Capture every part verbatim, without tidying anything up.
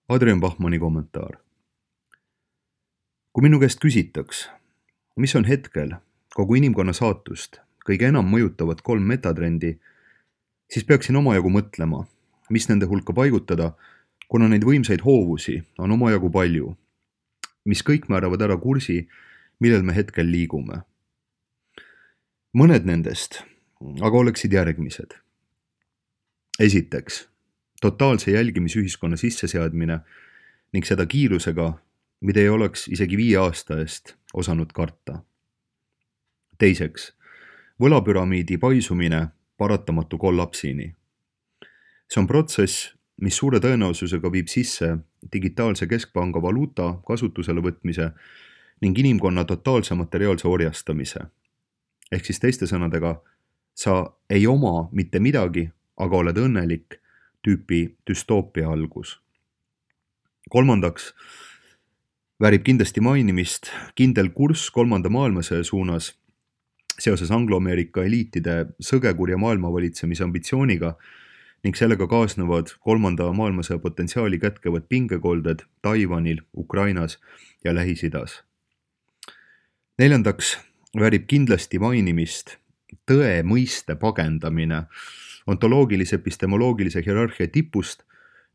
Adrian Bachmanni kommentaar. Kui minu käest küsitaks, mis on hetkel kogu inimkonna saatust kõige enam mõjutavad kolm metatrendi, siis peaksin omajagu mõtlema, mis nende hulka paigutada, kuna neid võimsaid hoovusi on omajagu palju, mis kõik määravad ära kursi, millel me hetkel liigume. Mõned nendest aga oleksid järgmised. Esiteks, totaalse jälgimisühiskonna sisseseadmine ning seda kiirusega, mida ei oleks isegi viie aasta eest osanud karta. Teiseks, võlapüramiidi paisumine paratamatu kollapsini. See on protsess, mis suure tõenäosusega viib sisse digitaalse keskpanga valuuta kasutusele võtmise ning inimkonna totaalse materiaalse orjastamise. Ehk siis teiste sõnadega, sa ei oma mitte midagi, aga oled õnnelik tüüpi düstoopia algus. Kolmandaks, väärib kindlasti mainimist kindel kurss kolmanda maailmasõja suunas seoses Anglo-Ameerika eliitide sõgekurja maailmavalitsemise ambitsiooniga ning sellega kaasnevad kolmanda maailmasõja potentsiaali kätkevad pingekolded Taiwanil, Ukrainas ja Lähis-Idas. Neljandaks, väärib kindlasti mainimist tõe mõiste pagendamine ontoloogilise epistemoloogilise hierarhia tipust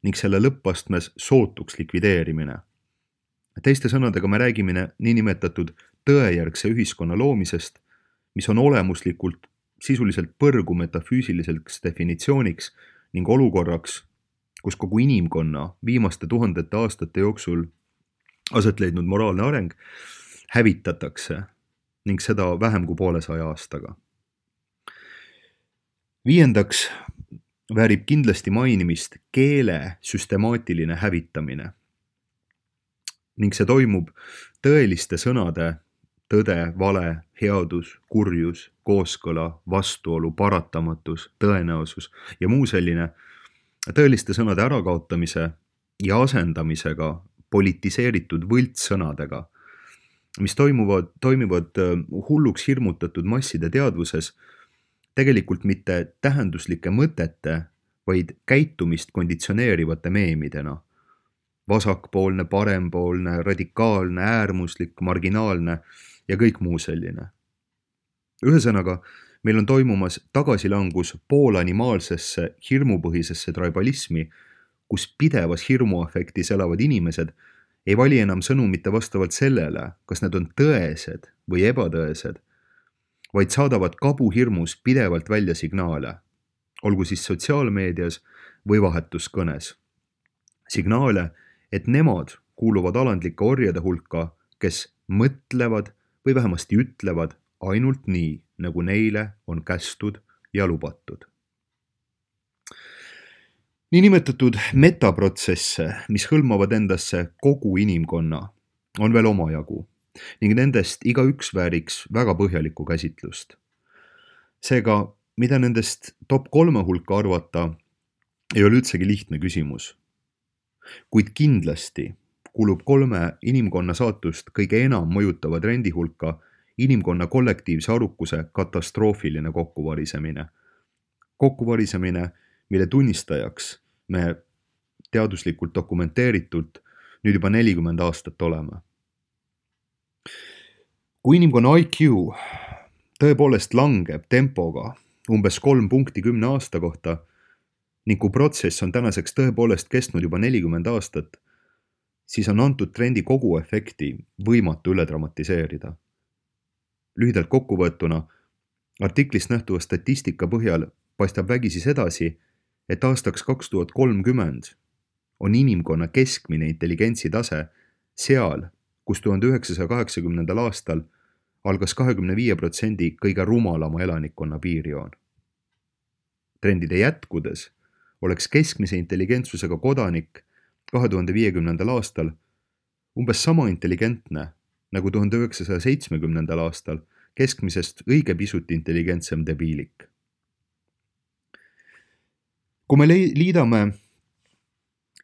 ning selle lõppastmes sootuks likvideerimine. Teiste sõnadega me räägime niinimetatud tõejärgse ühiskonna loomisest, mis on olemuslikult sisuliselt põrgu metafüüsiliseks definitsiooniks ning olukorraks, kus kogu inimkonna viimaste tuhandete aastate jooksul aset leidnud moraalne areng hävitatakse ning seda vähem kui poolesaja aastaga. Viiendaks, väärib kindlasti mainimist keele süstemaatiline hävitamine ning see toimub tõeliste sõnade tõde, vale, headus, kurjus, kooskõla, vastuolu, paratamatus, tõenäosus ja muu selline tõeliste sõnade ärakaotamise ja asendamisega politiseeritud võltssõnadega, mis toimuvad, toimivad hulluks hirmutatud masside teadvuses tegelikult mitte tähenduslike mõtete, vaid käitumist konditsioneerivate meemidena. Vasakpoolne, parempoolne, radikaalne, äärmuslik, marginaalne ja kõik muu selline. Ühesõnaga, meil on toimumas tagasilangus poolanimaalsesse hirmupõhisesse tribalismi, kus pidevas hirmuafektis elavad inimesed ei vali enam sõnu mitte vastavalt sellele, kas need on tõesed või ebatõesed, vaid saadavad kabuhirmus pidevalt välja signaale, olgu siis sotsiaalmeedias või vahetuskõnes. Signaale, et nemad kuuluvad alandlike orjade hulka, kes mõtlevad või vähemasti ütlevad ainult nii, nagu neile on kästud ja lubatud. Niinimetatud metaprotsesse, mis hõlmavad endasse kogu inimkonna, on veel omajagu ning nendest igaüks vääriks väga põhjalikku käsitlust. Seega, mida nendest top kolme hulka arvata, ei ole üldsegi lihtne küsimus. Kuid kindlasti kulub kolme inimkonna saatust kõige enam mõjutava trendi hulka inimkonna kollektiivse arukuse katastroofiline kokkuvarisemine. Kokkuvarisemine, mille tunnistajaks me teaduslikult dokumenteeritult nüüd juba nelikümmend aastat oleme. Kui inimkonna I Q tõepoolest langeb tempoga umbes kolm punkti kümne aasta kohta ning kui protsess on tänaseks tõepoolest kestnud juba nelikümmend aastat, siis on antud trendi kogu efekti võimatu üle dramatiseerida. Lühidalt kokkuvõetuna, artiklist nähtuva statistika põhjal paistab vägisi sedasi, et aastaks kaks tuhat kolmkümmend on inimkonna keskmine intelligentsi tase seal, kus tuhande üheksasaja kaheksakümnendal aastal algas kahekümne viie protsendi kõige rumalama elanikkonna piirjoon. Trendide jätkudes oleks keskmise intelligentsusega kodanik kahe tuhande viiekümnendal aastal umbes sama intelligentne nagu tuhande üheksasaja seitsmekümnendal aastal keskmisest õige pisut intelligentsem debiilik. Kui me liidame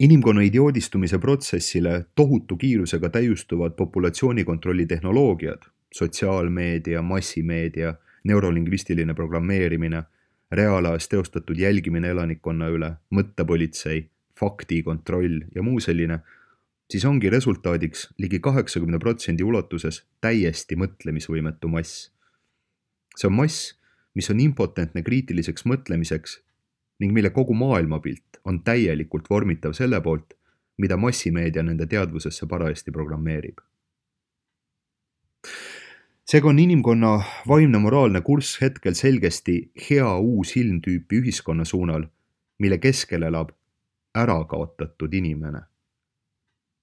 inimkonna idioodistumise protsessile tohutu kiirusega täiustuvad populatsioonikontrolli tehnoloogiad, sotsiaalmeedia, massimeedia, neurolingvistiline programmeerimine, reaalajas teostatud jälgimine elanikkonna üle, mõttepolitsei, fakti kontroll ja muu selline, siis ongi resultaadiks ligi kaheksakümne protsendi ulatuses täiesti mõtlemisvõimetu mass. See on mass, mis on impotentne kriitiliseks mõtlemiseks ning mille kogu maailmapilt on täielikult vormitav selle poolt, mida massimeedia nende teadvusesse parajasti programmeerib. Seega on inimkonna vaimne moraalne kurss hetkel selgesti hea uus ilmtüüpi ühiskonna suunal, mille keskel elab ära kaotatud inimene.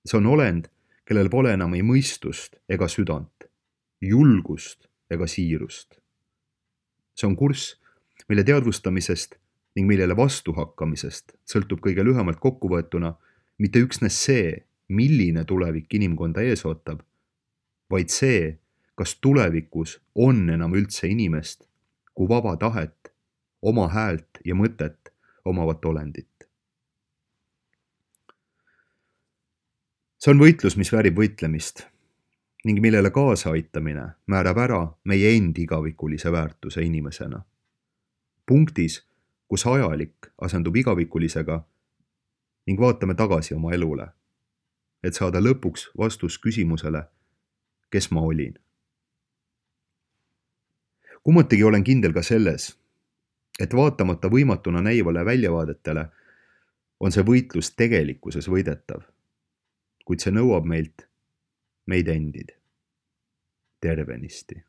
See on olend, kellel pole enam ei mõistust ega südant, julgust ega siirust. See on kurss, mille teadvustamisest ning millele vastuhakkamisest sõltub kõige lühemalt kokkuvõetuna mitte üksnes see, milline tulevik inimkonda ees ootab, vaid see, kas tulevikus on enam üldse inimest kui vaba tahet, oma häält ja mõtet omavat olendit. See on võitlus, mis väärib võitlemist ning millele kaasa aitamine määrab ära meie endi igavikulise väärtuse inimesena. Punktis, kus ajalik asendub igavikulisega ning vaatame tagasi oma elule, et saada lõpuks vastus küsimusele, kes ma olin. Kummatigi olen kindel ka selles, et vaatamata võimatuna näivale väljavaadetele on see võitlus tegelikkuses võidetav, kuid see nõuab meilt meid endid tervenisti.